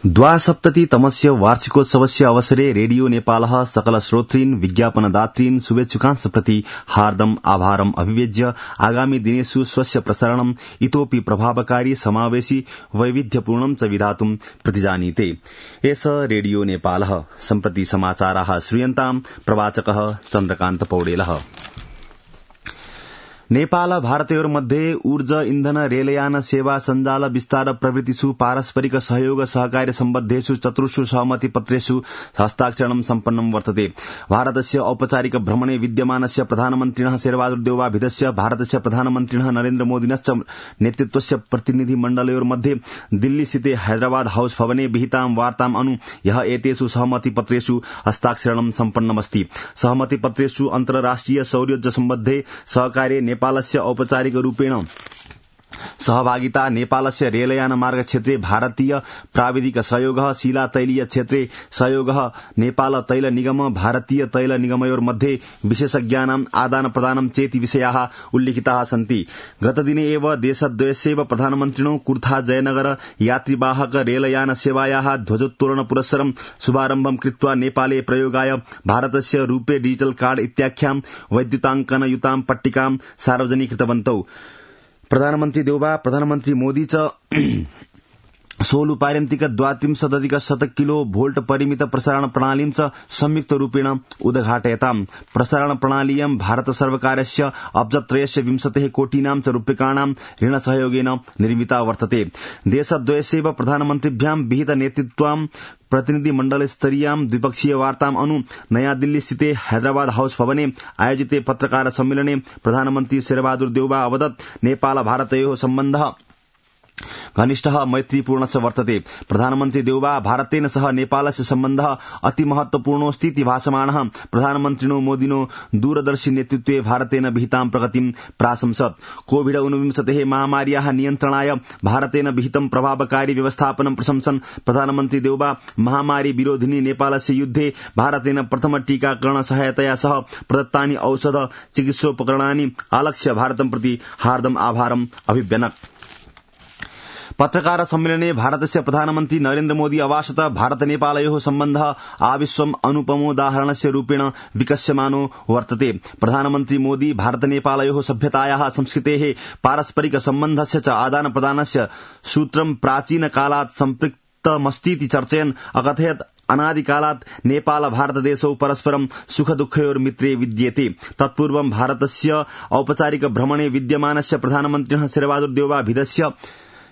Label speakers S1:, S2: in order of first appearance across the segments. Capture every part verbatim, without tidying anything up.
S1: द्वासप्ततितमस्य वार्षिकोत्सवस्य अवसरे रेडियो नेपालः सकल श्रोतॄन् विज्ञापनदातॄन् शुभेच्छुकांश्च प्रति हार्दम् आभारम् अभिव्यज्य आगामी दिनेषु स्वस्य प्रसारणम् इतोऽपि प्रभावकारी समावेशि वैविध्यपूर्णं च विधातुं प्रतिजानीते। एष रेडियो नेपालः। सम्प्रति समाचाराः श्रूयन्ताम्। प्रवाचकः चन्द्रकान्त पौडेलः। नेपाल भारतयोर्मध्ये ऊर्जा इन्धन रेलयान सेवा सञ्जाल विस्तार प्रभृतिषु पारस्परिक सहयोग सहकार्य सम्बद्धेषु चतुर्षु सहमति पत्रेषु हस्ताक्षरणं सम्पन्नं वर्तते। भारतस्य औपचारिक भ्रमणे विद्यमानस्य प्रधानमन्त्रिणः शेरबहादुर देउवाभिधस्य भारतस्य प्रधानमन्त्रिणः नरेन्द्र मोदिनश्च नेतृत्वस्य प्रतिनिधिमण्डलयोर्मध्ये दिल्लीस्थिते हैदराबाद हाउस भवने विहितां वार्ताम् अनु ह्यः एतेषु सहमति पत्रेषु हस्ताक्षरणं सम्पन्नमस्ति। सहमति पत्रेषु अन्तर्राष्ट्रिय सौर्योर्जा सम्बद्धे सहकार्ये नेपालस्य औपचारिक रूपेण सहभागिता, नेपालस्य रेलयान मार्ग क्षेत्रे भारतीय प्राविधिक सहयोगः, शिला तैलीय क्षेत्रे सहयोगः, नेपाल तैल निगम भारतीय तैल निगमयोर्मध्ये विशेषज्ञानाम् आदान प्रदानं चेति विषयाः उल्लिखिताः सन्ति। गतदिने एव देशद्वयस्यैव प्रधानमन्त्रिणो कुर्था जयनगर यात्रिवाहक रेलयान सेवायाः ध्वजोत्तोलन पुरस्सरं शुभारम्भं कृत्वा नेपाले प्रयोगाय भारतस्य रूपे डिजिटल कार्ड इत्याख्यां वैद्युताङ्कनयुतां पट्टिकां सार्वजनीकृतवन्तौ। प्रधानमन्त्री देउबा प्रधानमन्त्री मोदी च सोलु पार्यन्तिक द्वात्रिंशदधिक शत किलो भोल्ट परिमित प्रसारण प्रणालीं च संयुक्त रूपेण उद्घाटयताम्। प्रसारण प्रणालीयं भारत सर्वकारस्य अब्जत्रयस्य विंशतेः कोटीनां च रूप्यकाणां ऋणसहयोगेन निर्मिता वर्तते। देशद्वयस्यैव प्रधानमन्त्रिभ्यां विहित नेतृत्वां प्रतिनिधिमण्डलस्तरीयां द्विपक्षीय वार्ताम् अनु नयाँ दिल्ली स्थिते हैदराबाद हाउस भवने आयोजिते पत्रकार सम्मेलने प्रधानमन्त्री शेरबहादुर देउबा अवदत् नेपाल भारतयोः सम्बन्धः घनिष्ठः मैत्रीपूर्णश्च वर्तते। प्रधानमन्त्री देउबा भारतेन सह नेपालस्य सम्बन्धः अति महत्वपूर्णोऽस्तीति भाषमाणः प्रधानमन्त्रिणो मोदिनो दूरदर्शी नेतृत्वे भारतेन विहितां प्रगतिं प्राशंसत्। कोविड ऊनविंशतेः महामार्याः नियन्त्रणाय भारतेन विहितं प्रभावकारी व्यवस्थापनं प्रशंसन् प्रधानमन्त्री देउबा महामारी विरोधिनी नेपालस्य युद्धे भारतेन प्रथम टीकाकरण सहायतया सह प्रदत्तानि औषध चिकित्सोपकरणानि आलक्ष्य भारतं प्रति हार्दम् आभारम् अभिव्यनक्। पत्रकार सम्मेलने भारतस्य प्रधानमन्त्री नरेन्द्र मोदी अभाषत भारत नेपालयोः सम्बन्धः आविश्वम् अनुपमोदाहरणस्य रूपेण विकस्यमानो वर्तते। प्रधानमन्त्री मोदी भारत नेपालयोः सभ्यतायाः संस्कृतेः पारस्परिक सम्बन्धस्य च आदान प्रदानस्य सूत्रं प्राचीन कालात् सम्पृक्तमस्तीति चर्चयन् अकथयत् अनादिकालात् नेपाल भारतदेशौ परस्परं सुख दुःखयोर्मित्रे विद्येते। तत्पूर्वं भारतस्य औपचारिक भ्रमणे विद्यमानस्य प्रधानमन्त्रिणः शेरबहादुर देउवाभिधस्य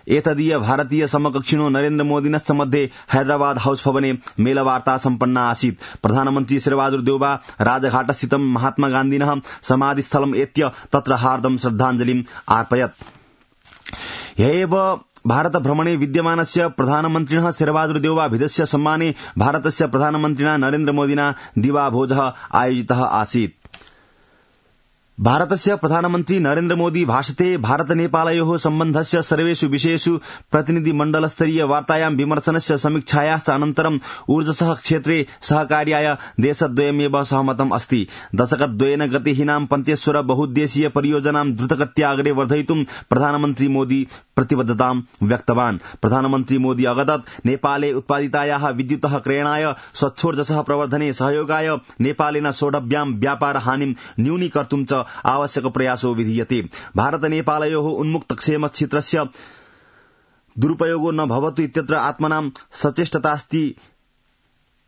S1: एतदीय भारतीय समकक्षिणो नरेन्द्र मोदिनश्च मध्ये हैदराबाद हाउस भवने मेलवार्ता सम्पन्ना आसीत्। प्रधानमन्त्री शेरबहादुर देउबा राजघाटस्थितं महात्मा गान्धिनः समाधिस्थलम् एत्य तत्र हार्दं श्रद्धाञ्जलिम् अर्पयत्। ह्येव भारत भ्रमणे विद्यमानस्य प्रधानमन्त्रिणः शेरबहादुर देउवाभिधस्य सम्माने भारतस्य प्रधानमन्त्रिणा नरेन्द्र मोदिना दिवाभोजः आयोजितः आसीत्। भारतस्य प्रधानमन्त्री नरेन्द्र मोदी भाषते भारत नेपालयोः सम्बन्धस्य सर्वेषु विषयेषु प्रतिनिधिमण्डलस्तरीय वार्तायां विमर्शनस्य समीक्षायाश्च अनन्तरं ऊर्जसः क्षेत्रे सहकार्याय देशद्वयमेव सहमतम् अस्ति। दशकद्वयेन गतिहीनां पञ्चेश्वर बहुद्देशीय परियोजनां द्रुतगत्या अग्रे वर्धयितुं प्रधानमन्त्री मोदी प्रतिबद्धतां व्यक्तवान्। प्रधानमन्त्री मोदी अवदत् नेपाले उत्पादितायाः विद्युतः क्रयणाय स्वच्छोर्जसः प्रवर्धने सहयोगाय नेपालेन सोढव्यां व्यापार हानिं न्यूनीकर्तुं च आवश्यक प्रयासो विधीयते। भारत नेपालयोः उन्मुक्त क्षेम क्षेत्रस्य दुरुपयोगो न भवतु इत्यत्र आत्मनां सचेष्टतास्ति।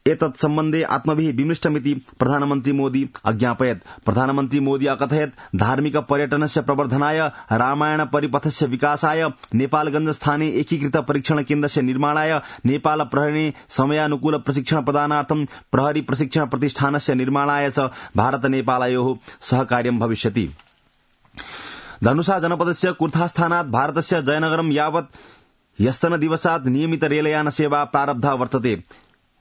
S1: एतत् सम्बन्धे आत्मभिः विमृष्टमिति प्रधानमन्त्री मोदी अज्ञापयत्। प्रधानमन्त्री मोदी अकथयत् धार्मिक पर्यटनस्य प्रवर्धनाय, रामायण परिपथस्य विकासाय, नेपालगंज स्थाने एकीकृत परीक्षण केन्द्रस्य निर्माणाय, नेपाल प्रहरीणे समयानुकूल प्रशिक्षण प्रदानार्थं प्रहरी प्रशिक्षण प्रतिष्ठानस्य निर्माणाय च भारत नेपालयोः सहकार्यं भविष्यति। धनुषा जनपदस्य कुर्थास्थानात् भारतस्य जयनगरं यावत् ह्यस्तन दिवसात् नियमित रेलयान सेवा प्रारब्धा वर्तते।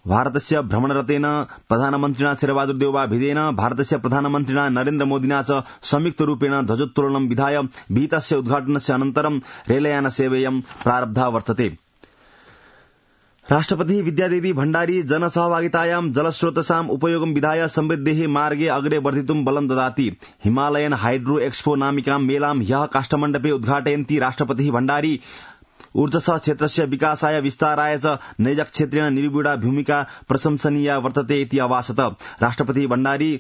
S1: भारतस्य भ्रमणरतेन प्रधानमन्त्रिणा शेरबहादुर देउवाभिधेन भारतस्य प्रधानमन्त्रिणा नरेन्द्र मोदिना च संयुक्त रूपेण ध्वजोत्तोलनं विधाय विहितस्य उद्घाटनस्य अनन्तरं रेलयान सेवेयं प्रारब्धा वर्तते। राष्ट्रपति विद्यादेवी भण्डारी जनसहभागितायां जलस्रोतसाम् उपयोगं विधाय समृद्धेः मार्गे अग्रे वर्धितुं बलं ददाति। हिमालयन हाइड्रो एक्सपो नामिकां मेलां ह्यः काष्ठमण्डपे उद्घाटयन्ती राष्ट्रपतिः भण्डारी ऊर्जस क्षेत्रस्य विकासाय विस्ताराय च नैजक्षेत्रेण निर्विडा भूमिका प्रशंसनीया वर्तते इति अभाषत। राष्ट्रपति भण्डारी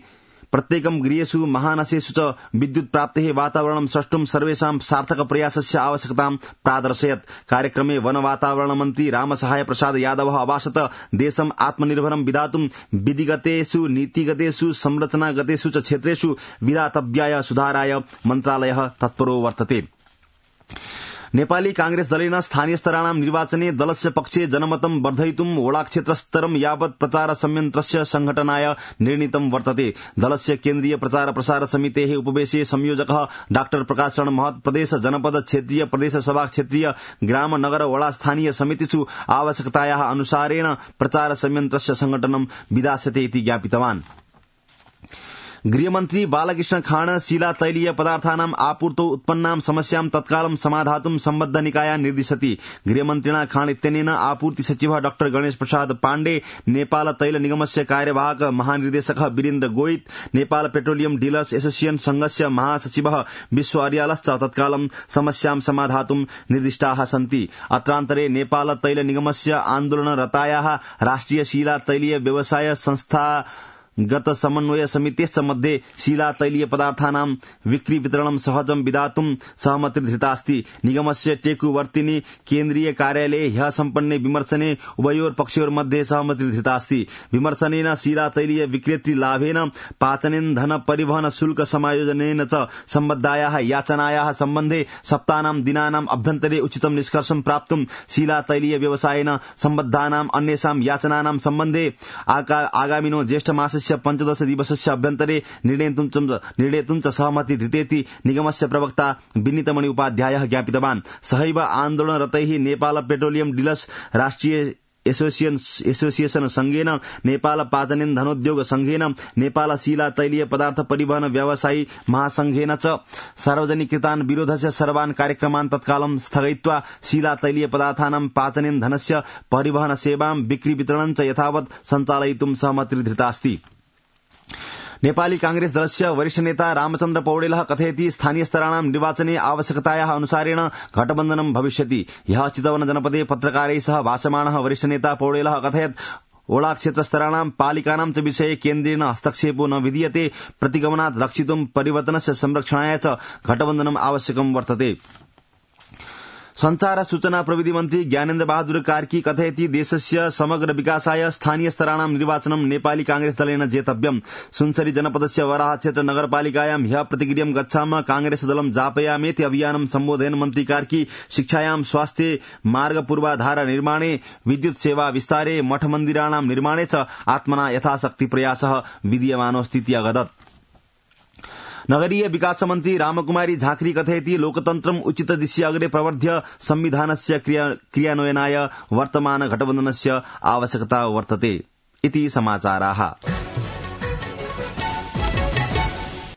S1: प्रत्येकं गृहेषु महानसेषु च विद्युत प्राप्तेः वातावरणं सृष्टुं सर्वेषां सार्थक प्रयासस्य आवश्यकतां प्रादर्शयत्। कार्यक्रमे वन वातावरण मन्त्री रामसहाय प्रसाद यादवः अभाषत। देशम् आत्मनिर्भरं विधातुं विधिगतेषु नीतिगतेषु संरचनागतेषु च क्षेत्रेषु विधातव्याय सुधाराय मन्त्रालयः तत्परो वर्तते। नेपाली कांग्रेस दलेन स्थानीय स्तराणां निर्वाचने दलस्य पक्षे जनमतं वर्धयितुं वडाक्षेत्रस्तरं यावत् प्रचार संयन्त्रस्य संघटनाय निर्णीतं वर्तते। दलस्य केन्द्रीय प्रचार प्रसार समितेः उपवेशे संयोजकः डाक्टर प्रकाश शरण महत प्रदेश जनपद क्षेत्रीय प्रदेश सभा क्षेत्रीय ग्राम नगर वडा स्थानीय समितिषु आवश्यकतायाः अनुसारेण प्रचार संयन्त्रस्य संघटनं विधास्यते इति ज्ञापितवान्। गृहमन्त्री बालकृष्ण खाण शिला तैलीय पदार्थानां आपूर्तौ उत्पन्नां समस्यां तत्कालं समाधातुं सम्बद्ध निकायान् निर्दिशति। गृहमन्त्रिणा खाण इत्यनेन आपूर्ति सचिवः डाक्टर गणेश प्रसाद पाण्डे, नेपाल तैल निगमस्य कार्यवाहक महानिर्देशकः Virendra Goit, Nepal petroleum dealers association संघस्य महासचिवः विश्व अर्यालश्च तत्कालं समस्यां समाधातुं निर्दिष्टाः सन्ति। अत्रान्तरे नेपाल तैल निगमस्य आन्दोलनरतायाः राष्ट्रिय शिला तैलीय व्यवसाय संस्था गत समन्वय समितेश्च मध्ये शिला तैलीय पदार्थानां विक्री वितरणं सहजं विधातुं सहमतिर्धृतास्ति। निगमस्य टेकुवर्तिनी केन्द्रीय कार्यालये ह्यः सम्पन्ने विमर्शने उभयोर पक्षयोर्मध्ये सहमतिर्धृतास्ति। विमर्शनेन शिला तैलीय विक्रेतृ लाभेन पाचनेन्धन परिवहन शुल्क समायोजनेन च सम्बद्धायाः याचनायाः सम्बन्धे सप्तानां दिनानाम् अभ्यन्तरे उचितं निष्कर्षं प्राप्तुं शिला तैलीय व्यवसायेन सम्बद्धानां अन्येषां याचनानां सम्बन्धे आगामिनो ज्येष्ठ मासस्य पञ्चदश दिवसस्य अभ्यन्तरे निर्णेतुं च सहमति धृतेति निगमस्य प्रवक्ता विनीतमणि उपाध्यायः ज्ञापितवान्। सहैव आन्दोलनरतैः नेपाल पेट्रोलियम डीलर्स राष्ट्रिय एसोसिएशन संघेन, नेपाल पाचनेन्धनोद्योग संघेन, नेपाल शिला तैलीय पदार्थ परिवहन व्यवसायी महासंघेन च सार्वजनिकृतान् विरोधस्य सर्वान् कार्यक्रमान् तत्कालं स्थगयित्वा शिला तैलीय पदार्थानां पाचनेन्धनस्य परिवहन सेवां बिक्री वितरणं च यथावत् सञ्चालयितुं सहमतिर्धृतास्ति। नेपाली कांग्रेस दलस्य वरिष्ठ नेता रामचन्द्र पौडेलः कथयति स्थानीय स्तराणां निर्वाचने आवश्यकतायाः अनुसारेण गठबन्धनं भविष्यति। ह्यः चितवन जनपदे पत्रकारैः सह भाषमाणः वरिष्ठ नेता पौडेलः अकथयत् ओडा क्षेत्रस्तराणां पालिकानां च विषये केन्द्रेण हस्तक्षेपो न विधीयते। प्रतिगमनात् रक्षितुं परिवर्तनस्य संरक्षणाय च गठबन्धनम् आवश्यकं वर्तते। संचार सूचना प्रविधि मन्त्री ज्ञानेन्द्र बहादुर कार्की कथयति देशस्य समग्र विकासाय स्थानीय स्तराणां निर्वाचनं नेपाली कांग्रेस दलेन जेतव्यम्। सुनसरी जनपदस्य वराह क्षेत्र नगरपालिकायां ह्यः प्रतिक्रियं गच्छामः कांग्रेस दलं जापयामेति अभियानं सम्बोधयन् मन्त्री कार्की शिक्षायां, स्वास्थ्ये, मार्ग पूर्वाधार निर्माणे, विद्युत सेवा विस्तारे, मठ मन्दिराणां निर्माणे च आत्मना यथाशक्ति प्रयासः विधीयमानोऽस्तीति अवदत्। नगरीय विकास मन्त्री रामकुमारी झाँक्री कथयति लोकतन्त्रम् उचित दिशि अग्रे प्रवर्ध्य संविधानस्य क्रियान्वयनाय वर्तमान गठबन्धनस्य आवश्यकता वर्तते इति समाचाराः।